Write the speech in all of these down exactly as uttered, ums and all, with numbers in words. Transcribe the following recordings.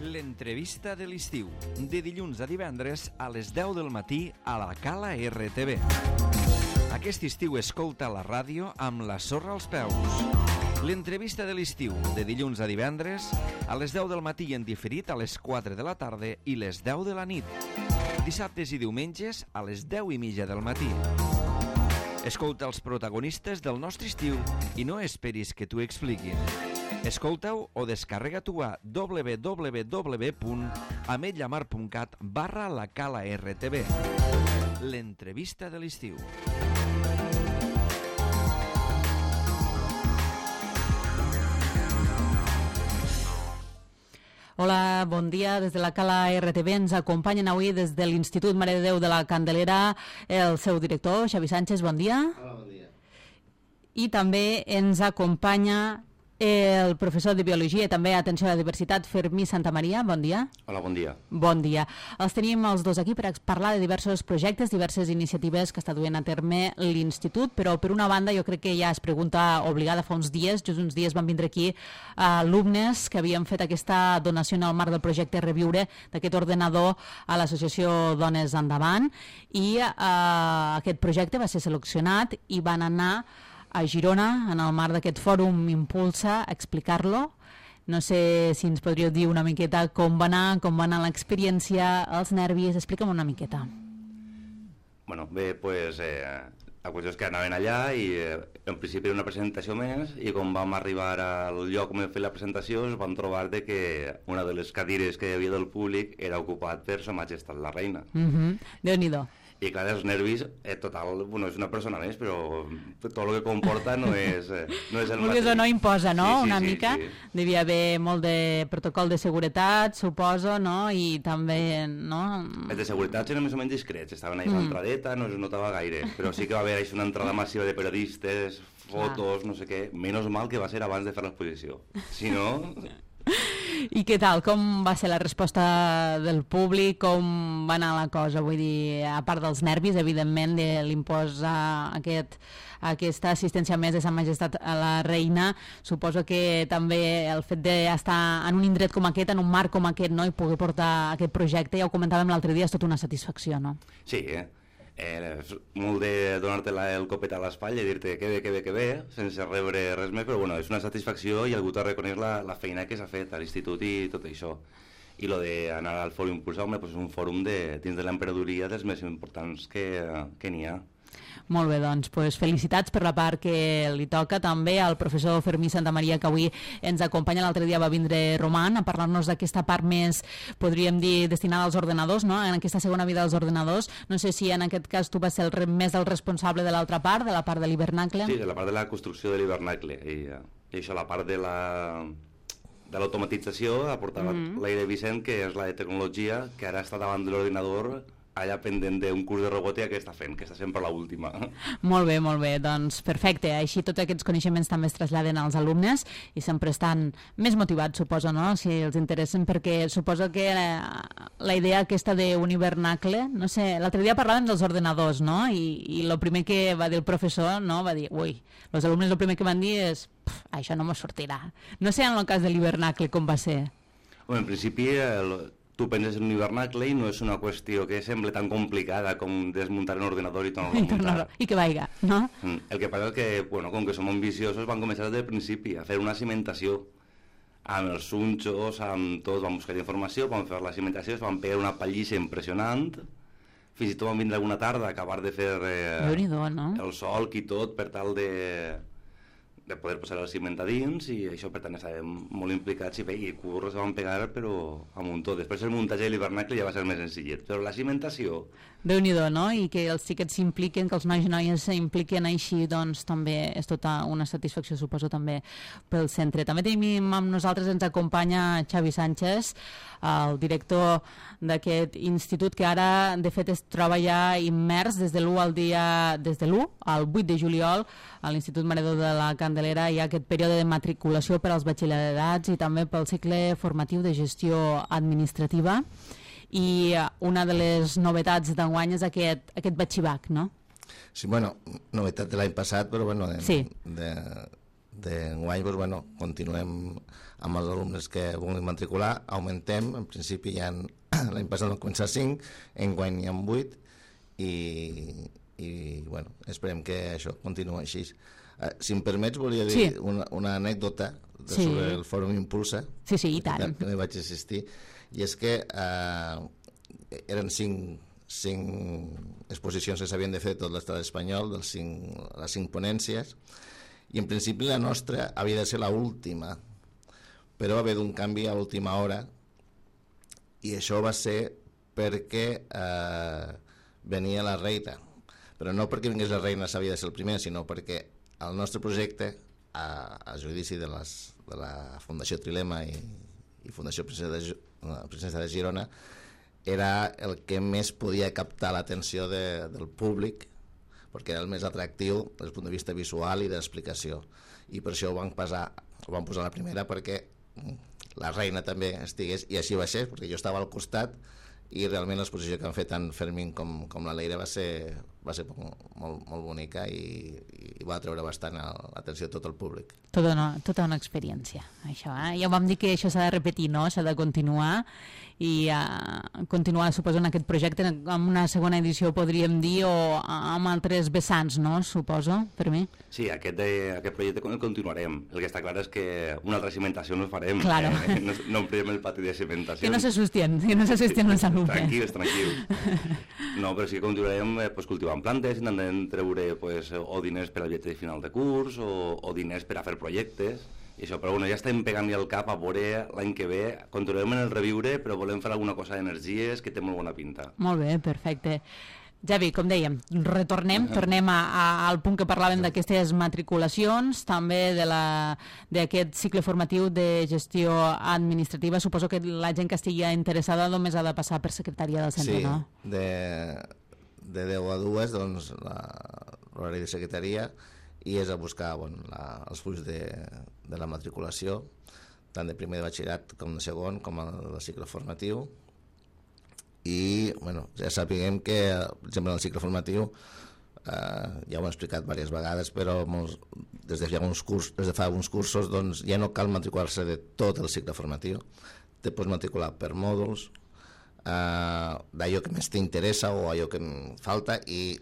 L'entrevista de l'estiu, de dilluns a divendres a les deu del matí a la Cala R T V. Aquest estiu escolta la ràdio amb la sorra als peus. L'entrevista de l'estiu, de dilluns a divendres a les deu del matí en diferit a les quatre de la tarda i les deu de la nit. Dissabtes i diumenges a les deu i mitja del matí. Escolta els protagonistes del nostre estiu i no esperis que t'ho expliquin. Escolta-ho o descarrega-t'ho a w w w punt ametlllamar punt cat barra la Cala R T V. L'entrevista de l'estiu. Hola, bon dia. Des de la Cala R T V ens acompanyen avui des de l'Institut Mare de Déu de la Candelera el seu director, Xavi Sánchez, bon dia. Hola, bon dia. I també ens acompanya el professor de Biologia i també Atenció a la Diversitat, Fermí Santamaria, bon dia. Hola, bon dia. Bon dia. Els tenim els dos aquí per parlar de diversos projectes, diverses iniciatives que està duent a terme l'Institut, però per una banda jo crec que ja es pregunta obligada fa uns dies, just uns dies van vindre aquí alumnes que havien fet aquesta donació en el marc del projecte Reviure d'aquest ordenador a l'associació Dones Endavant i eh, aquest projecte va ser seleccionat i van anar a Girona, en el marc d'aquest fòrum Impulsa, a explicar-lo. No sé si ens podríeu dir una miqueta com va anar, com va anar l'experiència, els nervis, explica'm una miqueta. Bueno, bé, pues, eh, la qüestió és que anaven allà i eh, en principi era una presentació més i quan vam arribar al lloc on vam fer la presentació es van trobar de que una de les cadires que hi havia del públic era ocupat per Sa Majestat la Reina. Mm-hmm. Déu-n'hi-do. I clar, els nervis, eh, total, bueno, és una persona més, però tot el que comporta no és, eh, no és el mateix. Vulguis o no imposa, no? Sí, sí, una sí, mica. Sí. Devia haver molt de protocol de seguretat, suposo, no? I també, no? Els de seguretat eren més o menys discrets, estaven ahí a l'entradeta, no es notava gaire, però sí que va haver una entrada massiva de periodistes, fotos, no sé què. Menys mal que va ser abans de fer l'exposició. Si no... I què tal? Com va ser la resposta del públic? Com va anar la cosa? Vull dir, a part dels nervis, evidentment, de l'imposar aquest, aquesta assistència més de Sa Majestat a la Reina, suposo que també el fet d'estar en un indret com aquest, en un marc com aquest, no? I poder portar aquest projecte, ja ho comentàvem l'altre dia, és tota una satisfacció, no? Sí, eh? Eh, molt de donar-te el copet a l'espatlla i dir-te que bé, que bé, que bé, sense rebre res més, però bueno, és una satisfacció i algú t'ha reconeix la, la feina que s'ha fet a l'institut i tot això. I lo d'anar al Fòrum Impulsa, home, pues és un fòrum de, dins de l'emprenedoria dels més importants que, que n'hi ha. Molt bé, doncs, pues felicitats per la part que li toca també al professor Fermí Santamaria, que avui ens acompanya. L'altre dia va vindre Roman a parlar-nos d'aquesta part més, podríem dir, destinada als ordenadors, no? En aquesta segona vida dels ordenadors. No sé si en aquest cas tu vas ser el, més el responsable de l'altra part, de la part de l'hivernacle. Sí, de la part de la construcció de l'hivernacle. I, i això, la part de la de l'automatització ha portat mm-hmm. l'Aire Vicent, que és la de tecnologia, que ara està davant de l'ordinador allà pendent d'un curs de robòtica que està fent, que està sempre a l'última. Molt bé, molt bé, doncs perfecte. Així tots aquests coneixements també es traslladen als alumnes i sempre estan més motivats, suposo, no? Si els interessen, perquè suposo que la, la idea aquesta d'un hivernacle, no sé, l'altre dia parlàvem dels ordenadors, no? I, i el primer que va dir el professor, no? Va dir, ui, els alumnes el primer que van dir és, això no m'ho sortirà. No sé en el cas de l'hivernacle com va ser. Bueno, en principi... El... tu penses en un hivernacle i no és una qüestió que sembla tan complicada com desmuntar un ordinador i tornar-lo a muntar. I que vaiga, no? El que passa és que, bueno, com que som ambiciosos, van començar des del principi a fer una cimentació amb els sunxos, amb tot, van buscar informació, van fer la cimentació, es van pegar una pallissa impressionant, fins i tot van vindre alguna tarda a acabar de fer eh, no? el solc i tot per tal de... de poder posar el ciment a dins i això per tant estàvem molt implicats i, bé, i curros van pegar però a muntó. Després el muntatge de l'hivernacle ja va ser més senzillet, però la cimentació... Déu-n'hi-do, no? I que els xiquets s'impliquen, que els nois i noies s'impliquen així, doncs també és tota una satisfacció, suposo, també pel centre. També tenim amb nosaltres, ens acompanya Xavi Sánchez, el director d'aquest institut, que ara, de fet, es troba ja immers des de l'u al dia, des de l'u al vuit de juliol, a l'Institut Mare de Déu de la Candelera hi ha aquest període de matriculació per als batxillerats i també pel cicle formatiu de gestió administrativa. I una de les novetats d'enguany és aquest, aquest batxibac, no? Sí, bueno, novetat de l'any passat, però bueno, de, sí. de, d'enguany doncs, bueno, continuem amb els alumnes que vulguin matricular, augmentem, en principi ja l'any passat vam començar cinc, enguany hi ha vuit, i, i bueno, esperem que això continuï així. Uh, si em permets, volia dir sí. una, una anècdota de, sí. sobre el Fòrum Impulsa, sí, sí, i tant. que no hi vaig assistir, i és que uh, eren cinc, cinc exposicions que s'havien de fer tot l'estat espanyol, dels cinc, les cinc ponències, i en principi la nostra havia de ser l'última, però va haver d'un canvi a l'última hora, i això va ser perquè eh, venia la reina, però no perquè vingués la reina s'havia de ser el primer, sinó perquè el nostre projecte, a, a judici de, les, de la Fundació Trilema i, i Fundació Princesa de, Princesa de Girona, era el que més podia captar l'atenció de, del públic, perquè era el més atractiu des del punt de vista visual i d'explicació, i per això ho vam, passar, ho vam posar la primera, perquè la reina també estigués, i així va ser, perquè jo estava al costat, i realment l'exposició que han fet tant Fermín com, com la Leire va ser, va ser molt, molt bonica i, i va treure bastant l'atenció de tot el públic. Tota una, tota una experiència, això. Eh? Ja vam dir que això s'ha de repetir, no? S'ha de continuar, i uh, continuar, suposo, en aquest projecte amb una segona edició, podríem dir, o amb altres vessants, no? Suposo, per mi. Sí, aquest, de, aquest projecte el continuarem. El que està clar és que una altra cimentació no farem. Claro. Eh? No, no omplirem el pati de cimentació. Que no s'assusten, que no s'assusten els alumnes. Tranquils, tranquils. No, però sí que continuarem eh, pues, cultivant plantes, intentem treure pues, o diners per al viatge de final de curs, o, o diners per a fer projectes, i això, però bueno, ja estem pegant-li al cap a veure l'any que ve, continuem en el reviure, però volem fer alguna cosa d'energies que té molt bona pinta. Molt bé, perfecte. Javi, com dèiem, retornem, uh-huh. tornem a, a, al punt que parlàvem d'aquestes matriculacions, també de d'aquest cicle formatiu de gestió administrativa. Suposo que la gent que estigui interessada només ha de passar per secretaria del centre, sí, no? Sí, de, de deu a dues, doncs, l'horari de secretaria, i és a buscar bueno, la, els fulls de, de la matriculació, tant de primer de batxillerat com de segon, com el cicle formatiu. I bueno, ja sapiguem que, per exemple, en el cicle formatiu, eh, ja ho hem explicat diverses vegades, però molts, des, de fa uns curs, des de fa uns cursos doncs, ja no cal matricular-se de tot el cicle formatiu, te pots matricular per mòduls, eh, d'allò que més t'interessa o allò que em falta, i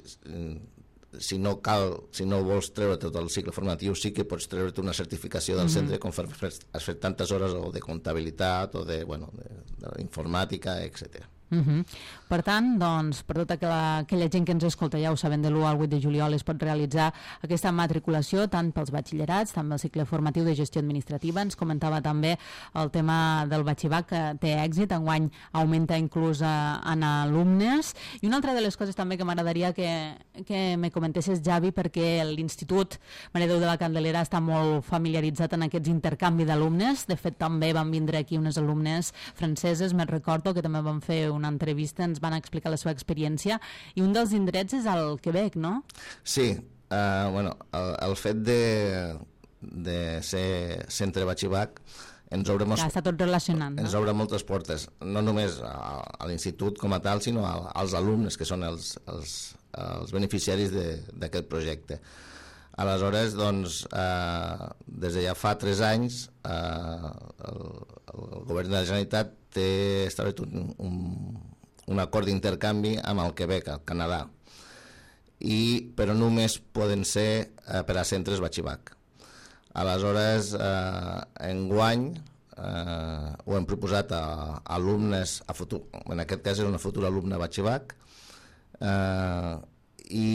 si no cal, si no vols treure tot el cicle formatiu, sí que pots treure't una certificació del mm-hmm. centre com fer, has fet tantes hores o de comptabilitat o de, bueno, de, de informàtica, etcètera. Uh-huh. Per tant, doncs, per tota aquella, aquella gent que ens escolta, ja ho saben, de l'u al vuit de juliol es pot realitzar aquesta matriculació tant pels batxillerats, tant pel cicle formatiu de gestió administrativa. Ens comentava també el tema del batxibac, que té èxit, enguany augmenta inclús a, en alumnes. I una altra de les coses també que m'agradaria que, que me comentessis, Javi, perquè l'Institut Mare Déu de la Candelera està molt familiaritzat en aquests intercanvis d'alumnes. De fet, també van vindre aquí unes alumnes franceses, me'n recordo, que també van fer una entrevista, ens van explicar la seva experiència, i un dels indrets és el Quebec, no? Sí, uh, bueno, el, el fet de, de ser centre batxibac ens obre, molts, està tot relacionant, ens no? obre moltes portes, no només a, a l'institut com a tal, sinó a, als alumnes, que són els, els, els beneficiaris d'aquest projecte. Aleshores, doncs, eh, des de ja fa tres anys, eh, el, el govern de la Generalitat té establert un, un, un acord d'intercanvi amb el Quebec, al Canadà, i, però només poden ser eh, per a centres batxibac. Aleshores, eh, enguany eh, ho hem proposat a, a alumnes, a futur, en aquest cas és una futura alumna batxibac, eh, i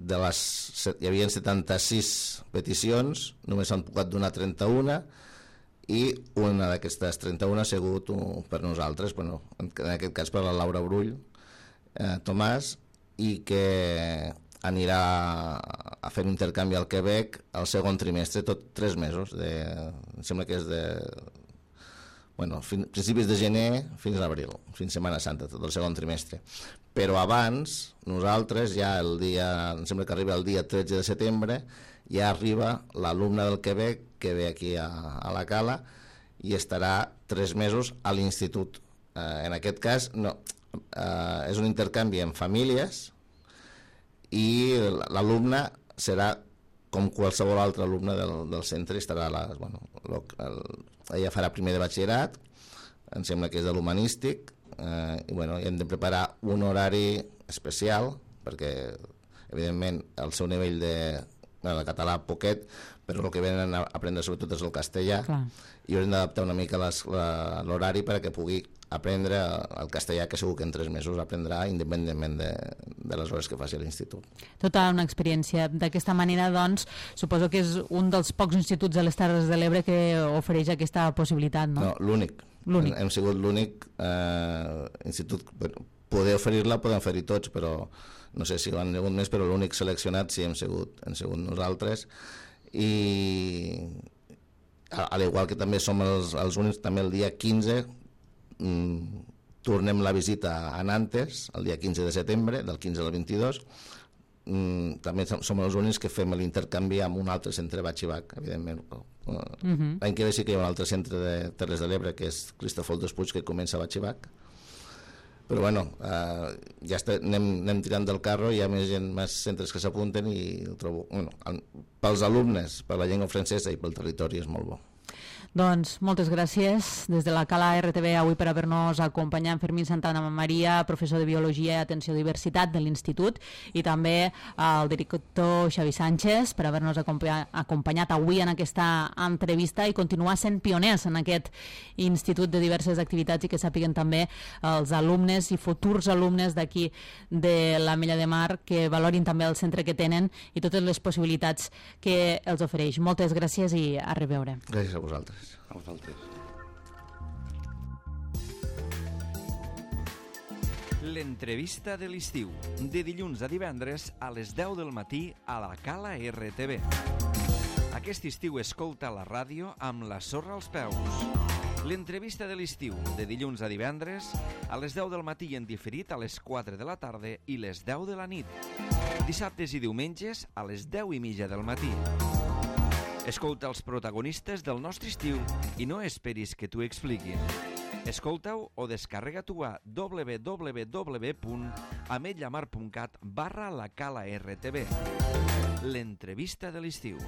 de les, hi havia setanta-sis peticions, només s'han pogut donar trenta-una, i una d'aquestes trenta-una ha sigut un, per nosaltres, bueno, en aquest cas per la Laura Brull eh, Tomàs, i que anirà a fer un intercanvi al Quebec al segon trimestre, tot tres mesos, de, em sembla que és de bueno, fin, principis de gener fins a l'abril, fins a Setmana Santa, tot el segon trimestre. Però abans, nosaltres ja el dia, em sembla que arriba el dia tretze de setembre, ja arriba l'alumne del Quebec que ve aquí a, a la Cala i estarà tres mesos a l'institut. Eh, en aquest cas, no, eh, és un intercanvi en famílies i l'alumne serà com qualsevol altre alumne del, del centre, estarà a les, bueno, el, el, ella farà primer de batxillerat, em sembla que és de l'humanístic, eh, i bueno, hem de preparar un horari especial, perquè evidentment el seu nivell de, bueno, de català poquet, però el que venen a aprendre sobretot és el castellà. Clar. I haurem d'adaptar una mica l'horari perquè pugui aprendre el castellà, que segur que en tres mesos aprendrà independentment de, de les hores que faci a l'institut. Tota una experiència. D'aquesta manera, doncs, suposo que és un dels pocs instituts a les Terres de l'Ebre que ofereix aquesta possibilitat, no? No, l'únic. L'únic. Hem, hem sigut l'únic eh, institut. Poder oferir-la poden oferir tots, però no sé si ho han hagut més, però l'únic seleccionat sí hem sigut, hem sigut nosaltres. I a l'igual que també som els, els únics, també el dia quinze mm, tornem la visita a Nantes el dia quinze de setembre, del quinze al vint-i-dos. Mm, també som els únics que fem l'intercanvi amb un altre centre batxibac, evidentment. Uh-huh. L'any que ve sí que hi ha un altre centre de Terres de l'Ebre, que és Cristòfol Despuig, que comença a batxibac. Però bueno, eh, ja està, anem, anem tirant del carro, hi ha més gent, més centres que s'apunten i ho trobo, bueno, pels alumnes, per la llengua francesa i pel territori és molt bo. Doncs moltes gràcies des de la Cala R T V avui per haver-nos acompanyat. Fermín Santana Maria, professor de Biologia i Atenció a Diversitat de l'Institut, i també el director Xavi Sánchez per haver-nos acompanyat avui en aquesta entrevista i continuar sent pioners en aquest institut de diverses activitats, i que sàpiguen també els alumnes i futurs alumnes d'aquí de l'Ametlla de Mar que valorin també el centre que tenen i totes les possibilitats que els ofereix. Moltes gràcies i a reveure. Gràcies a vosaltres. A vosaltres. L'entrevista de l'estiu, de dilluns a divendres a les deu del matí a la Cala R T V. Aquest estiu escolta la ràdio amb la sorra als peus. L'entrevista de l'estiu, de dilluns a divendres a les deu del matí en diferit a les quatre de la tarda i les deu de la nit. Dissabtes i diumenges a les deu i mitja del matí. Escolta els protagonistes del nostre estiu i no esperis que t'ho expliquin. Escolta-ho o descarrega-t'ho a w w w punt ametlla mar punt cat barra la Cala R T V. L'entrevista de l'estiu.